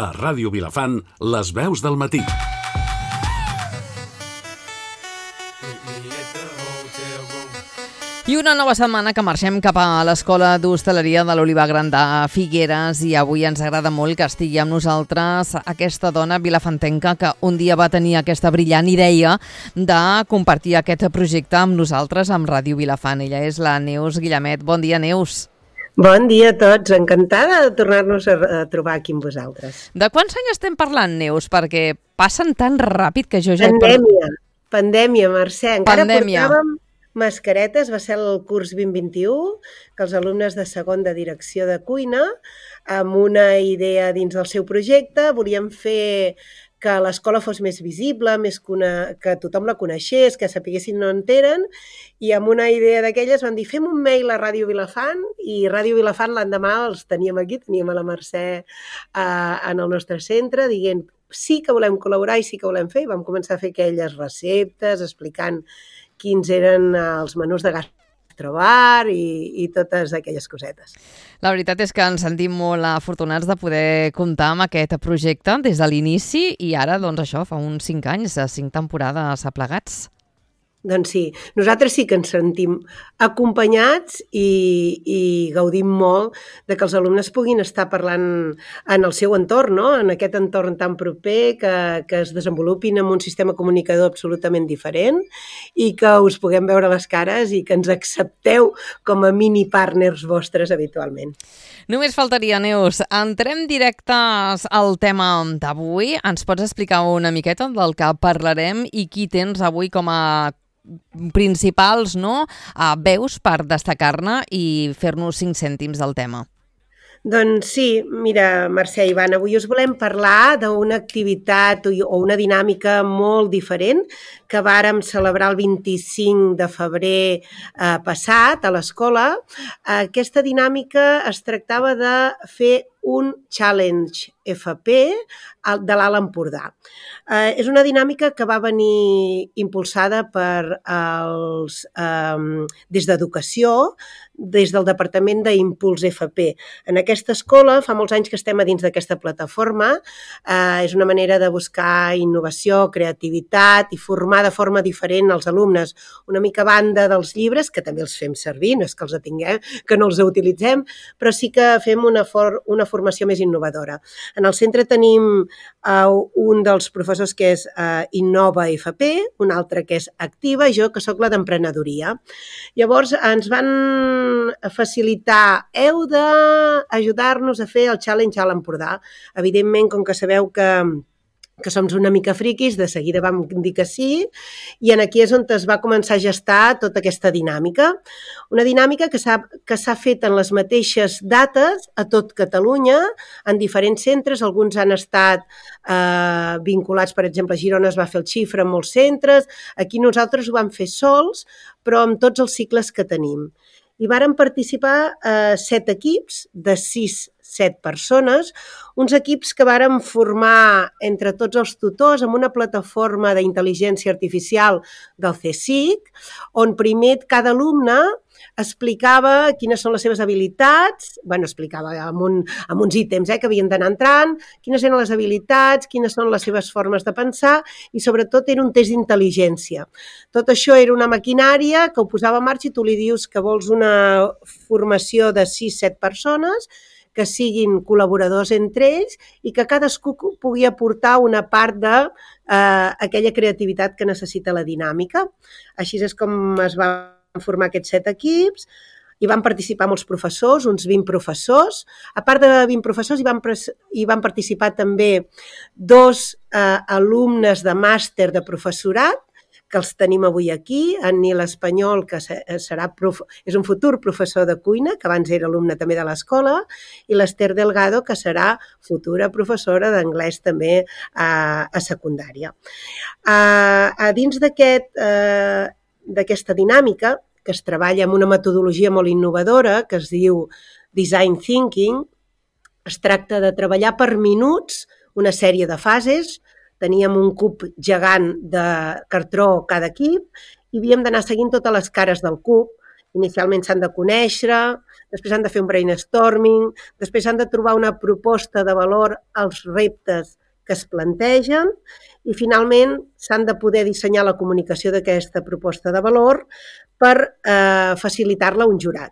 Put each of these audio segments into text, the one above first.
A Ràdio Vilafant, les veus del matí. I una nova setmana que marxem cap a l'Escola d'Hostaleria de l'Olivar Gran de Figueres i avui ens agrada molt que estigui amb nosaltres aquesta dona vilafantenca que un dia va tenir aquesta brillant idea de compartir aquest projecte amb nosaltres, amb Ràdio Vilafant. Ella és la Neus Guillamet. Bon dia, Neus. Bon dia a tots. Encantada de tornar-nos a trobar aquí amb vosaltres. De quants anys estem parlant, Neus? Perquè passen tan ràpid que jo ja... Pandèmia, Mercè. Encara portàvem mascaretes, va ser el curs 2021, que els alumnes de segon de direcció de cuina, amb una idea dins del seu projecte, volien fer que l'escola fos més visible, que tothom la coneixés, que sapiguessin on eren, i amb una idea d'aquelles van dir fem un mail a Ràdio Vilafant, i Ràdio Vilafant l'endemà els teníem aquí, teníem a la Mercè en el nostre centre, dient sí que volem col·laborar i sí que volem fer, i vam començar a fer aquelles receptes, explicant quins eren els menús de gastrobar i totes aquelles cosetes. La veritat és que ens sentim molt afortunats de poder comptar amb aquest projecte des de l'inici i ara, doncs això, fa uns 5 anys, 5 temporades aplegats. Doncs sí, nosaltres sí que ens sentim acompanyats i gaudim molt de que els alumnes puguin estar parlant en el seu entorn, no? En aquest entorn tan proper, que es desenvolupin amb un sistema comunicador absolutament diferent i que us puguem veure les cares i que ens accepteu com a mini partners vostres habitualment. Només faltaria, Neus. Entrem directes al tema d'avui. Ens pots explicar una miqueta del que parlarem i qui tens avui com a principals veus per destacar-ne i fer-nos 5 cèntims del tema? Doncs sí, mira, Mercè i Ivan, avui us volem parlar d'una activitat o una dinàmica molt diferent que vàrem celebrar el 25 de febrer passat a l'escola. Aquesta dinàmica es tractava de fer un challenge FP de l'Alt Empordà. És una dinàmica que va venir impulsada des d'Educació, des del Departament d'Impuls FP. En aquesta escola, fa molts anys que estem a dins d'aquesta plataforma, és una manera de buscar innovació, creativitat i formar de forma diferent els alumnes, una mica a banda dels llibres, que també els fem servir, no és que els tinguem, que no els utilitzem, però sí que fem una formació més innovadora. En el centre tenim un dels professors que és Innova FP, un altre que és Activa i jo que sóc la d'Emprenedoria. Llavors ens van facilitar, heu d'ajudar-nos a fer el Challenge a l'Empordà. Evidentment, com que sabeu que som una mica friquis, de seguida vam dir que sí, i aquí és on es va començar a gestar tota aquesta dinàmica. Una dinàmica que s'ha fet en les mateixes dates a tot Catalunya, en diferents centres, alguns han estat vinculats, per exemple, a Girona es va fer el Xifra en molts centres, aquí nosaltres ho vam fer sols, però amb tots els cicles que tenim. I varen participar 7 equips de 7 persones, uns equips que varen formar entre tots els tutors amb una plataforma d'intel·ligència artificial del CSIC, on primer cada alumne explicava quines són les seves habilitats, explicava amb uns ítems que havien d'anar entrant, quines eren les habilitats, quines són les seves formes de pensar i sobretot era un test d'intel·ligència. Tot això era una maquinària que ho posava en marxa i tu li dius que vols una formació de 6-7 persones que siguin col·laboradors entre ells i que cadascú pugui aportar una part d'aquella creativitat que necessita la dinàmica. Així és com es van formar aquests 7 equips. Hi van participar molts professors, uns 20 professors. A part de 20 professors, hi van participar també 2 alumnes de màster de professorat, que els tenim avui aquí, en Nil Espanyol, que és un futur professor de cuina, que abans era alumne també de l'escola, i l'Ester Delgado, que serà futura professora d'anglès també a secundària. A dins d'aquesta dinàmica, que es treballa amb una metodologia molt innovadora, que es diu Design Thinking, es tracta de treballar per minuts una sèrie de fases. Teníem un cub gegant de cartró cada equip i havíem d'anar seguint totes les cares del cub. Inicialment s'han de conèixer, després han de fer un brainstorming, després han de trobar una proposta de valor als reptes que es plantegen i finalment s'han de poder dissenyar la comunicació d'aquesta proposta de valor per facilitar-la a un jurat.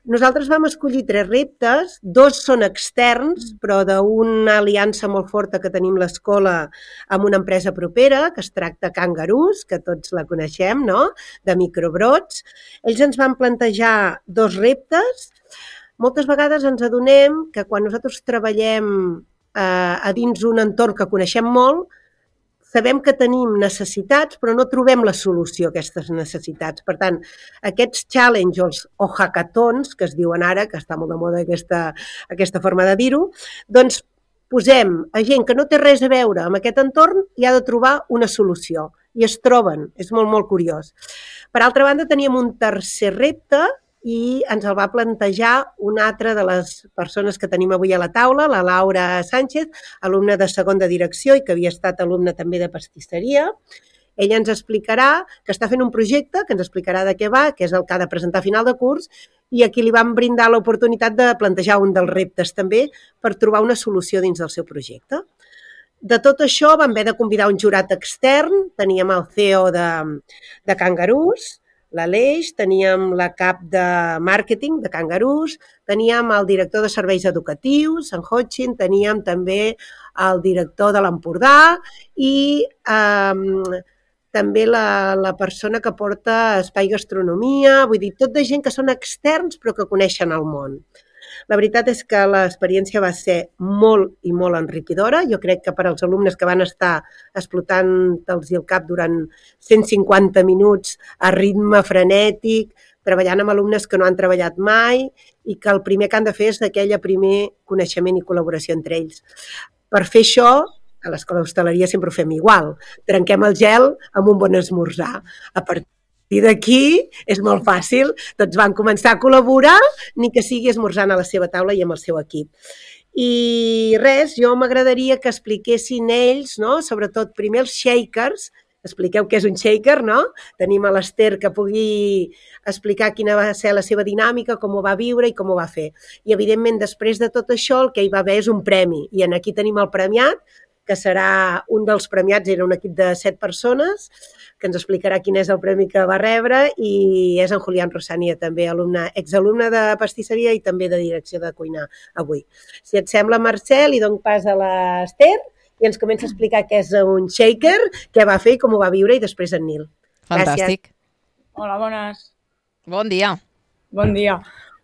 Nosaltres vam escollir 3 reptes, 2 són externs, però d'una aliança molt forta que tenim l'escola amb una empresa propera, que es tracta Kangaroos, que tots la coneixem, no?, de microbrots. Ells ens van plantejar 2 reptes. Moltes vegades ens adonem que quan nosaltres treballem a dins un entorn que coneixem molt, sabem que tenim necessitats, però no trobem la solució a aquestes necessitats. Per tant, aquests challenges o hackathons, que es diuen ara, que està molt de moda aquesta forma de dir-ho, doncs posem a gent que no té res a veure amb aquest entorn i ha de trobar una solució. I es troben, és molt, molt curiós. Per altra banda, teníem un tercer repte i ens el va plantejar una altra de les persones que tenim avui a la taula, la Laura Sánchez, alumna de segon de direcció i que havia estat alumna també de pastisseria. Ella ens explicarà que està fent un projecte, que ens explicarà de què va, que és el que ha de presentar a final de curs, i aquí li vam brindar l'oportunitat de plantejar un dels reptes també per trobar una solució dins del seu projecte. De tot això vam haver de convidar un jurat extern, teníem el CEO de Kangaroos, l'Aleix, teníem la cap de màrqueting de Kangaroos, teníem el director de serveis educatius, en Hotchin, teníem també el director de l'Empordà i també la persona que porta Espai Gastronomia, vull dir, tot de gent que són externs però que coneixen el món. La veritat és que l'experiència va ser molt i molt enriquidora. Jo crec que per als alumnes que van estar explotant-los el cap durant 150 minuts a ritme frenètic, treballant amb alumnes que no han treballat mai i que el primer que han de fer és aquell primer coneixement i col·laboració entre ells. Per fer això, a l'escola d'hostaleria sempre ho fem igual. Trenquem el gel amb un bon esmorzar. A partir d'aquí és molt fàcil, tots van començar a col·laborar, ni que sigui esmorzant a la seva taula i amb el seu equip. I res, jo m'agradaria que expliquessin ells, no?, sobretot primer els shakers, expliqueu què és un shaker, no? Tenim a l'Ester que pugui explicar quina va ser la seva dinàmica, com ho va viure i com ho va fer. I evidentment després de tot això el que hi va haver és un premi, i aquí tenim el premiat, que serà un dels premiats, era un equip de 7 persones, que ens explicarà quin és el premi que va rebre i és en Julián Rosania, també exalumne de pastisseria i també de direcció de cuina avui. Si et sembla, Mercè, li dono pas a l'Ester i ens comença a explicar què és un shaker, què va fer i com ho va viure, i després en Nil. Fantàstic. Gràcies. Hola, bones. Bon dia. Bon dia.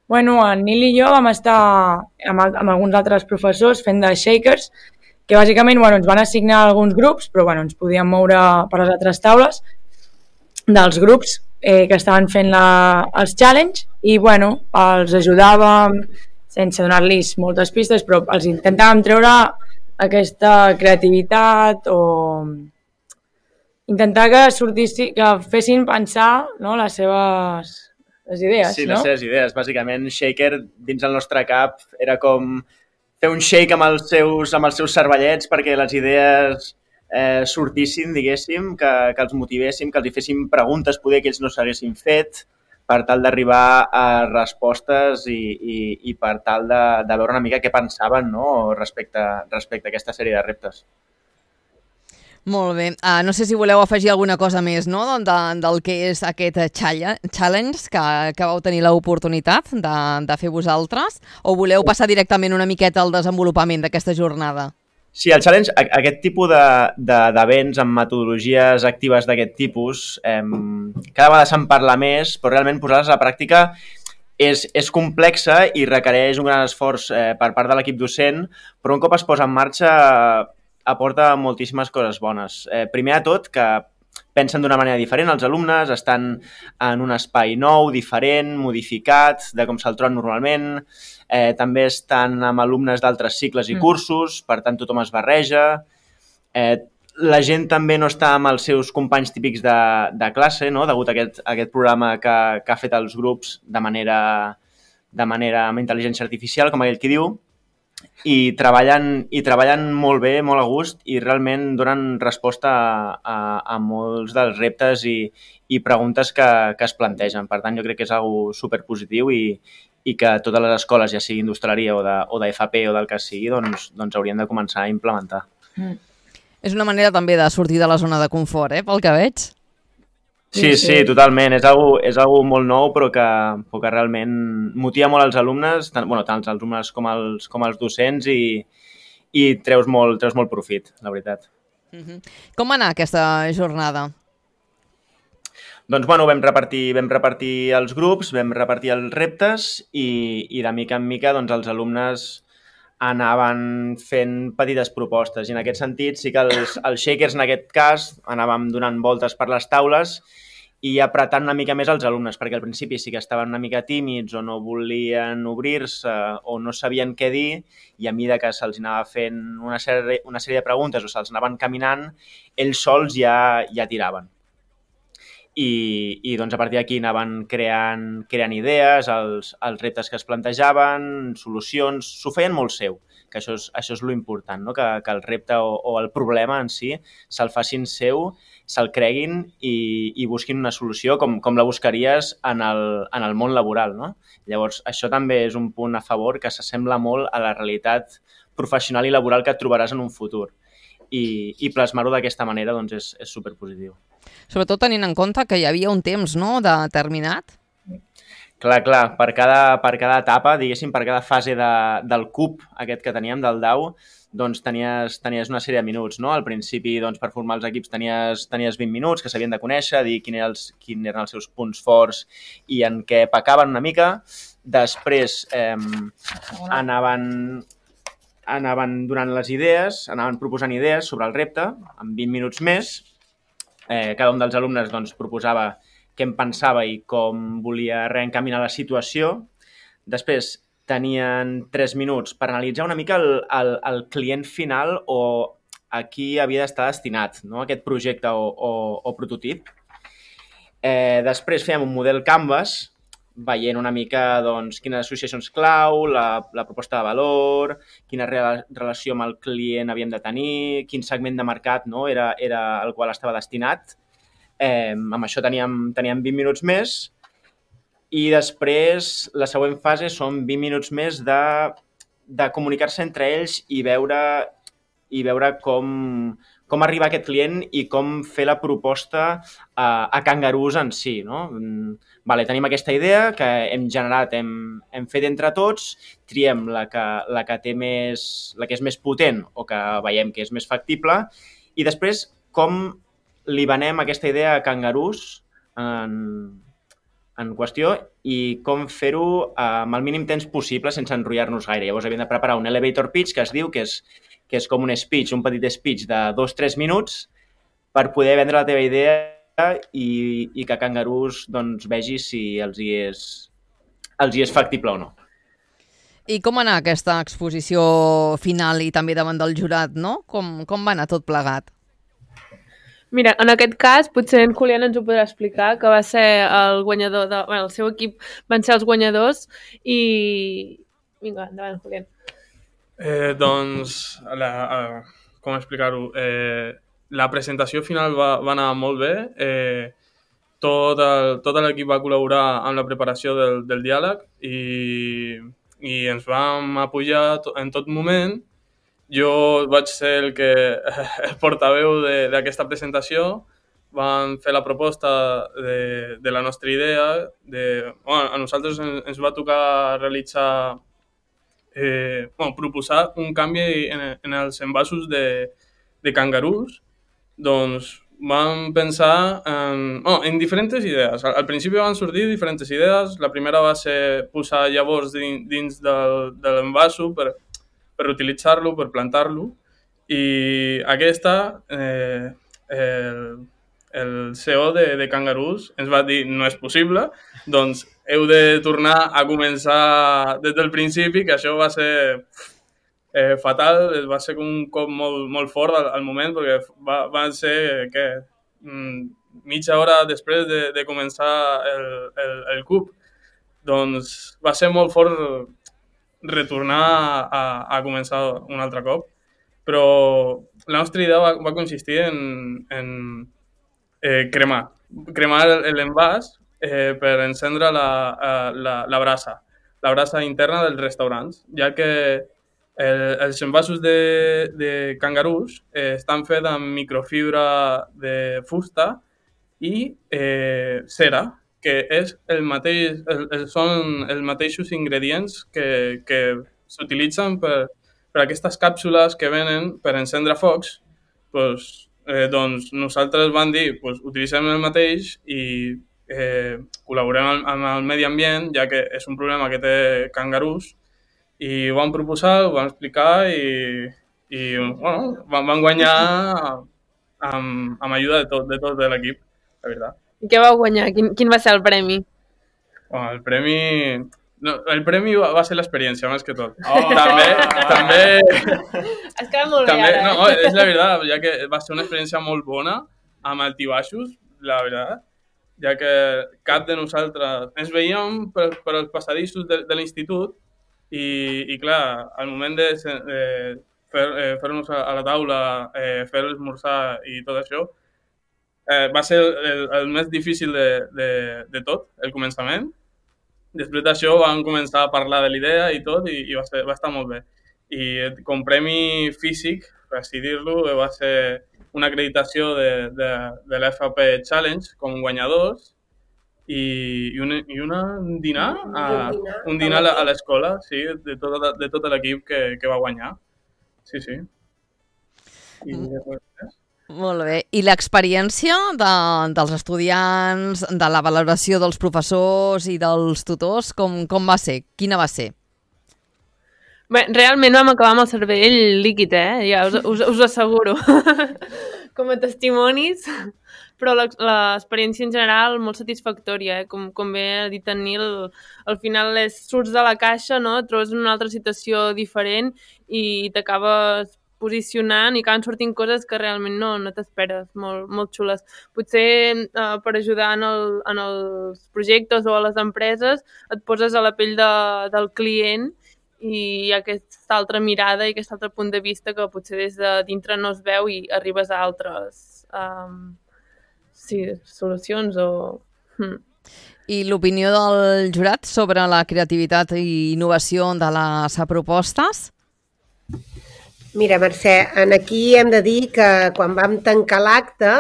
Bueno, en Nil i jo vam estar amb alguns altres professors fent de shakers, que bàsicament ens van assignar alguns grups, però ens podíem moure per les altres taules dels grups que estaven fent els challenge i els ajudàvem sense donar-los moltes pistes, però els intentàvem treure aquesta creativitat o intentar que fessin pensar, no, les idees. Sí, les seves idees. Bàsicament, shaker dins el nostre cap era com fer un shake amb els seus cervellets perquè les idees sortissin, diguéssim, que els motivéssim, que els hi féssim preguntes poder que ells no s'haguessin fet per tal d'arribar a respostes i per tal de veure una mica què pensaven, no?, respecte a aquesta sèrie de reptes. Molt bé. No sé si voleu afegir alguna cosa més, no?, del que és aquest challenge que vau tenir l'oportunitat de fer vosaltres, o voleu passar directament una miqueta al desenvolupament d'aquesta jornada? Sí, el challenge, aquest tipus d'events amb metodologies actives d'aquest tipus, cada vegada se'n parla més, però realment posar-les a la pràctica és complexa i requereix un gran esforç per part de l'equip docent, però un cop es posa en marxa aporta moltíssimes coses bones. Primer de tot, que pensen d'una manera diferent, els alumnes estan en un espai nou, diferent, modificat, de com se'l troben normalment, també estan amb alumnes d'altres cicles i cursos, per tant tothom es barreja, la gent també no està amb els seus companys típics de classe, no?, degut a aquest programa que ha fet els grups de manera amb intel·ligència artificial, com aquell qui diu, i treballen molt bé, molt a gust, i realment donen resposta a molts dels reptes i preguntes que es plantegen. Per tant, jo crec que és algo superpositiu i i que totes les escoles, ja sigui d'hostaleria o d'FP o del que sigui, doncs haurien de començar a implementar. És una manera també de sortir de la zona de confort, pel que veig. Sí, totalment. És algo molt nou, però que realment motiva molt els alumnes, tant els alumnes com els docents, i treus molt profit, la veritat. Com va anar aquesta jornada? Doncs vam repartir els grups, vam repartir els reptes i de mica en mica doncs, els alumnes anaven fent petites propostes. I en aquest sentit sí que els shakers, en aquest cas, anàvem donant voltes per les taules i apretant una mica més els alumnes, perquè al principi sí que estaven una mica tímids o no volien obrir-se o no sabien què dir, i a mesura que se'ls anava fent una sèrie de preguntes o se'ls anaven caminant, ells sols ja tiraven. I doncs a partir d'aquí anaven creant idees, els reptes que es plantejaven, solucions, s'ho feien molt seu, que això és lo important, no? Que el repte o el problema en si se'l facin seu, se'l creguin i busquin una solució com la buscaries en el món laboral, no? Llavors, això també és un punt a favor que s'assembla molt a la realitat professional i laboral que et trobaràs en un futur. I plasmar-ho d'aquesta manera doncs, és superpositiu. Sobretot tenint en compte que hi havia un temps, no?, determinat. Clar, per cada etapa, diguéssim, per cada fase del cub aquest que teníem, del DAO, doncs tenies una sèrie de minuts, no? Al principi, doncs, per formar els equips tenies 20 minuts que s'havien de conèixer, dir quins eren els seus punts forts i en què pecaven una mica. Després anaven donant les idees, anaven proposant idees sobre el repte, en 20 minuts més. Cada un dels alumnes doncs, proposava què en pensava i com volia reencaminar la situació. Després tenien 3 minuts per analitzar una mica el client final o a qui havia d'estar destinat, no? Aquest projecte o prototip. Després fèiem un model Canvas, veient una mica doncs, quines associacions clau, la proposta de valor, quina relació amb el client havíem de tenir, quin segment de mercat, no, era el qual estava destinat. Amb això teníem 20 minuts més i després la següent fase són 20 minuts més de comunicar-se entre ells i veure com arribar a aquest client i com fer la proposta a Kangaroos en si, no? Vale, tenim aquesta idea que hem generat, hem fet entre tots, triem la que és més potent o que veiem que és més factible i després com li venem aquesta idea a Kangaroos en qüestió i com fer-ho amb el mínim temps possible sense enrotllar-nos gaire. Llavors havíem de preparar un elevator pitch que es diu, que és com un speech, un petit speech de 2-3 minuts per poder vendre la teva idea i que Kangaroos doncs, vegi si els hi és factible o no. I com va anar aquesta exposició final i també davant del jurat, no? Com va anar tot plegat? Mira, en aquest cas, potser en Julián ens ho podrà explicar, que va ser el guanyador el seu equip van ser els guanyadors i... Vinga, endavant, Julián. Doncs, com explicar-ho? La presentació final va anar molt bé. Tot l'equip va col·laborar amb la preparació del diàleg i ens vam apoyar en tot moment. Jo vaig ser el portaveu d'aquesta presentació. Vam fer la proposta de la nostra idea. A nosaltres ens va tocar realitzar proposar un canvi en els envasos de Kangaroos. Doncs vam pensar en diferents idees. Al principi van sortir diferents idees. La primera va ser posar llavors dins de l'envaso per utilitzar-lo, per plantar-lo. I aquesta, el CEO de Kangaroos ens va dir no és possible, doncs heu de tornar a començar des del principi, que això va ser fatal, va ser un cop molt fort al moment, perquè va ser mitja hora després de començar el cub. Doncs va ser molt fort retornar a començar un altre cop, però la nostra idea va consistir en cremar l'envàs per encendre la brasa. la brasa interna dels restaurants, ja que els envasos de cangarús estan fets amb microfibra de fusta i cera, que és són els mateixos ingredients que s'utilitzen per aquestes càpsules que venen per encendre focs. Doncs nosaltres vam dir, utilitzem el mateix i col·laborem amb el medi ambient, ja que és un problema que té cangarús, i ho vam proposar, ho vam explicar i bueno, vam guanyar amb ajuda de tot l'equip, la veritat. I què vau guanyar? Quin va ser el premi? Bueno, el premi va ser l'experiència, més que tot. També... Es queda molt bé ara. No, és la veritat, ja que va ser una experiència molt bona, amb altibaixos, la veritat, ja que cap de nosaltres ens veiem per els passadissos de l'institut i clar, al moment de fer-nos a la taula, fer l'esmorzar i tot això, va ser el més difícil de tot, el començament. Després d'això vam començar a parlar de l'idea i tot i va estar molt bé. I com premi físic, per així dir-lo, va ser una acreditació de l'FP Challenge com guanyadors i un dinar a l'escola, sí, de tot l'equip que va guanyar. Sí. I després... Molt bé. I l'experiència dels estudiants, de la valoració dels professors i dels tutors, com va ser? Quina va ser? Bé, realment vam acabar amb el cervell líquid, ja us asseguro, com a testimonis, però l'experiència en general molt satisfactòria, com bé ha dit en Nil, al final surts de la caixa, no? Et trobes en una altra situació diferent i t'acabes posicionant i acaben sortint coses que realment no t'esperes, molt xules. Potser per ajudar en els projectes o a les empreses et poses a la pell del client i aquesta altra mirada i aquest altre punt de vista que potser des de dintre no es veu i arribes a altres solucions o... I l'opinió del jurat sobre la creativitat i innovació de les propostes? Mira, Mercè, aquí hem de dir que quan vam tancar l'acte,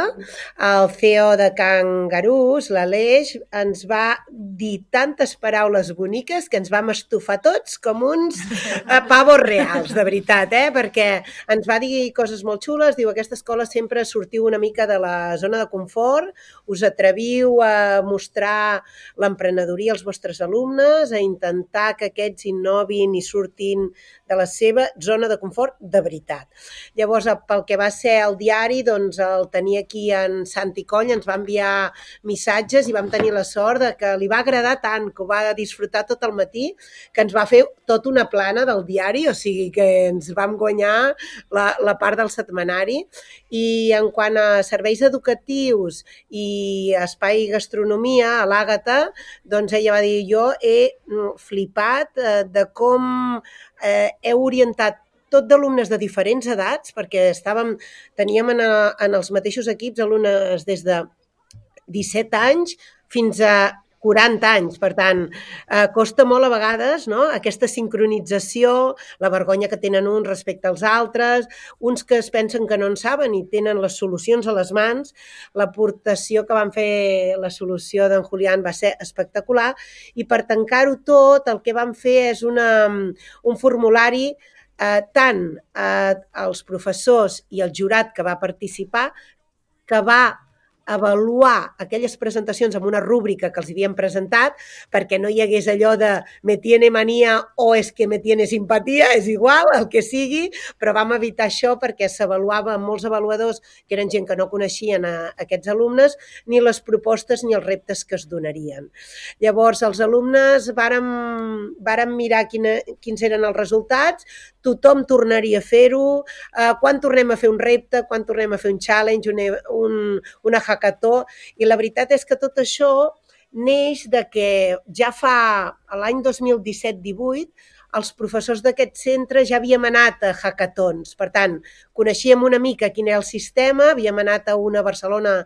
el CEO de Cangarús, l'Aleix, ens va dir tantes paraules boniques que ens vam estufar tots com uns pavos reals, de veritat, perquè ens va dir coses molt xules, diu, aquesta escola sempre sortiu una mica de la zona de confort, us atreviu a mostrar l'emprenedoria als vostres alumnes, a intentar que aquests innovin i surtin de la seva zona de confort de veritat. Llavors, pel que va ser el diari, doncs el tenia aquí en Santi Coll, ens va enviar missatges i vam tenir la sort de que li va agradar tant, que ho va disfrutar tot el matí, que ens va fer tota una plana del diari, o sigui que ens vam guanyar la part del setmanari. I en quant a serveis educatius i espai gastronomia, a l'Àgata, doncs ella va dir, jo he flipat de com heu orientat tot d'alumnes de diferents edats, perquè teníem en els mateixos equips alumnes des de 17 anys fins a 40 anys, per tant, costa molt a vegades, no?, aquesta sincronització, la vergonya que tenen uns respecte als altres, uns que es pensen que no en saben i tenen les solucions a les mans. L'aportació que van fer, la solució d'en Julián va ser espectacular i per tancar-ho tot el que vam fer és un formulari tant als professors i al jurat que va participar, que va avaluar aquelles presentacions amb una rúbrica que els havíem presentat perquè no hi hagués allò de me tiene manía o es que me tiene simpatía, és igual, el que sigui, però vam evitar això perquè s'avaluava amb molts avaluadors que eren gent que no coneixien aquests alumnes ni les propostes ni els reptes que es donarien. Llavors, els alumnes vàrem mirar quins eren els resultats, tothom tornaria a fer-ho, quan tornem a fer un repte, quan tornem a fer un challenge, una hackathon, i la veritat és que tot això neix de que ja fa l'any 2017-18 els professors d'aquest centre ja havíem anat a hackathons. Per tant, coneixíem una mica quin era el sistema, havíem anat a una a Barcelona,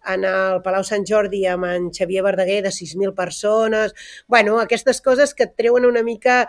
en el Palau Sant Jordi, amb en Xavier Verdaguer, de 6.000 persones. Bueno, aquestes coses que et treuen una mica...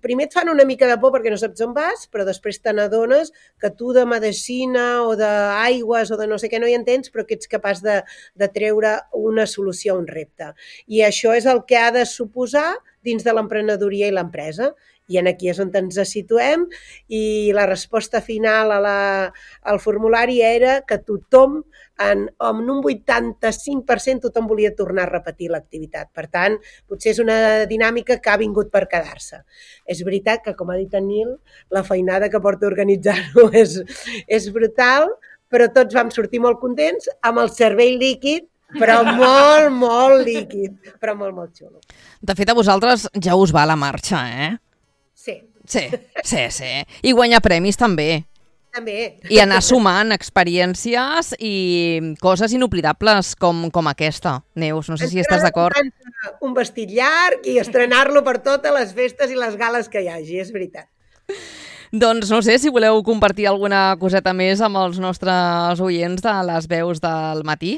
Primer et fan una mica de por perquè no saps on vas, però després te n'adones que tu de medicina o d'aigües o de no sé què no hi entens, però que ets capaç de treure una solució a un repte. I això és el que ha de suposar dins de l'emprenedoria i l'empresa. I aquí és on ens situem i la resposta final al formulari era que tothom, en un 85%, tothom volia tornar a repetir l'activitat. Per tant, potser és una dinàmica que ha vingut per quedar-se. És veritat que, com ha dit en Nil, la feinada que porta a organitzar-ho és brutal, però tots vam sortir molt contents, amb el cervell líquid, però molt, molt líquid, però molt, molt xulo. De fet, a vosaltres ja us va la marxa, eh? Sí. Sí. I guanyar premis també. També. I anar sumant experiències i coses inoblidables com aquesta. Neus, no sé si estàs d'acord. Un vestit llarg i estrenar-lo per totes les festes i les gales que hi hagi, és veritat. Doncs no sé si voleu compartir alguna coseta més amb els nostres oients de les veus del matí.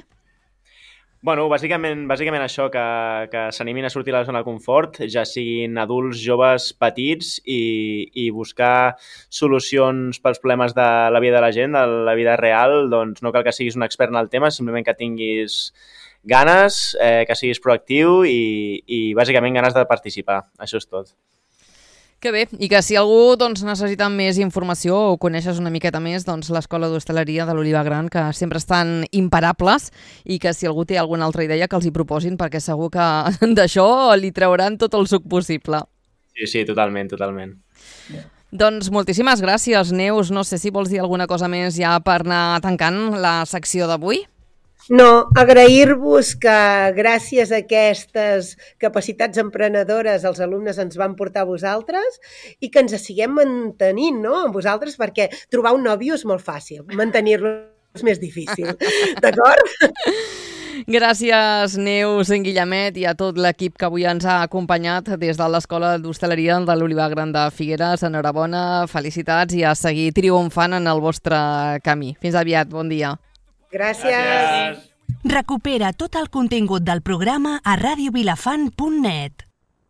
Bueno, bàsicament això, que s'animin a sortir de la zona de confort, ja siguin adults, joves, petits, i buscar solucions pels problemes de la vida de la gent, de la vida real. Doncs no cal que siguis un expert en el tema, simplement que tinguis ganes, que siguis proactiu i bàsicament ganes de participar. Això és tot. Que bé, i que si algú necessita més informació o coneixes una miqueta més, l'Escola d'Hostaleria de l'Oliva Gran, que sempre estan imparables, i que si algú té alguna altra idea que els hi proposin, perquè segur que d'això li trauran tot el suc possible. Sí, totalment. Doncs moltíssimes gràcies, Neus. No sé si vols dir alguna cosa més ja per anar tancant la secció d'avui. No, agrair-vos que gràcies a aquestes capacitats emprenedores els alumnes ens van portar a vosaltres i que ens siguem mantenint, no?, amb vosaltres, perquè trobar un nòvio és molt fàcil, mantenir-lo és més difícil, d'acord? Gràcies, Neus, en Guillemet i a tot l'equip que avui ens ha acompanyat des de l'Escola d'Hostaleria de l'Oliva Gran de Figueres. Enhorabona, felicitats i a seguir triomfant en el vostre camí. Fins aviat, bon dia. Gràcies. Recupera tot el contingut del programa a radiovilafant.net.